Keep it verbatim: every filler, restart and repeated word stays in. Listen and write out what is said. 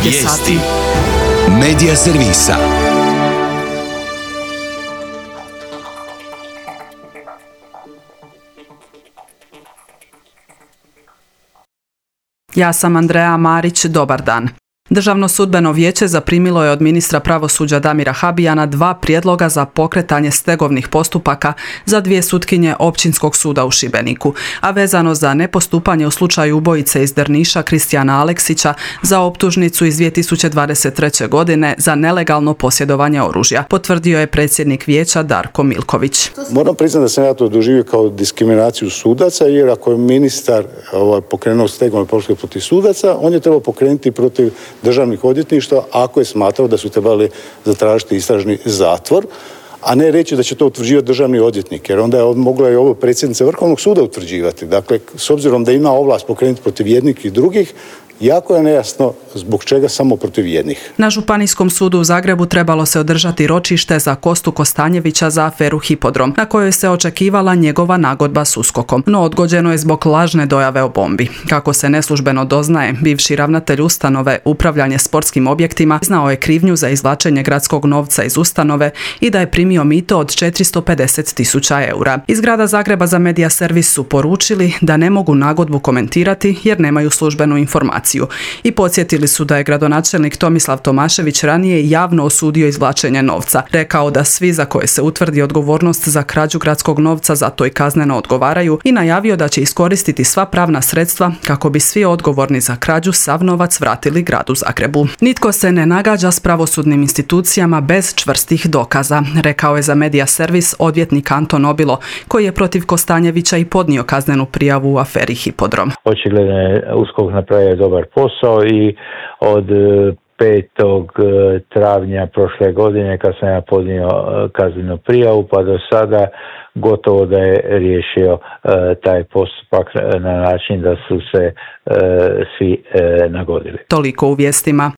je sati. Medija servisa. Ja sam Andreja Marić, dobar dan. Državno sudbeno vijeće zaprimilo je od ministra pravosuđa Damira Habijana dva prijedloga za pokretanje stegovnih postupaka za dvije sutkinje Općinskog suda u Šibeniku, a vezano za nepostupanje u slučaju ubojice iz Drniša Kristijana Aleksića za optužnicu iz dvije tisuće dvadeset treće. godine za nelegalno posjedovanje oružja, potvrdio je predsjednik vijeća Darko Milković. Moram priznati da sam ja to doživio kao diskriminaciju sudaca, jer ako je ministar ovaj, pokrenuo stegovne postupke protiv sudaca, on je trebao pokrenuti protiv državnih odvjetništva ako je smatrao da su trebali zatražiti istražni zatvor, a ne reći da će to utvrđivati državni odvjetnik, jer onda je mogla i ovo predsjednica Vrhovnog suda utvrđivati. Dakle, s obzirom da ima ovlast pokrenuti protiv jednih i drugih, jako je nejasno zbog čega samo protiv jednih. Na Županijskom sudu u Zagrebu trebalo se održati ročište za Kostu Kostanjevića za aferu Hipodrom, na kojoj se očekivala njegova nagodba s uskokom, no odgođeno je zbog lažne dojave o bombi. Kako se neslužbeno doznaje, bivši ravnatelj ustanove Upravljanje sportskim objektima znao je krivnju za izvlačenje gradskog novca iz ustanove i da je primio mito od četiristo pedeset tisuća eura. Iz grada Zagreba za Medija servis su poručili da ne mogu nagodbu komentirati jer nemaju službenu informaciju. I podsjetili su da je gradonačelnik Tomislav Tomašević ranije javno osudio izvlačenje novca. Rekao da svi za koje se utvrdi odgovornost za krađu gradskog novca za to i kazneno odgovaraju i najavio da će iskoristiti sva pravna sredstva kako bi svi odgovorni za krađu sav novac vratili gradu Zagrebu. Nitko se ne nagađa s pravosudnim institucijama bez čvrstih dokaza, rekao je za Medija servis odvjetnik Anton Obilo, koji je protiv Kostanjevića i podnio kaznenu prijavu u aferi Hipodrom. Očigledno je USKOK napravio dobar posao i od petog travnja prošle godine kad sam ja podnio kaznenu prijavu pa do sada gotovo da je riješio taj postupak na način da su se svi nagodili. Toliko u vijestima.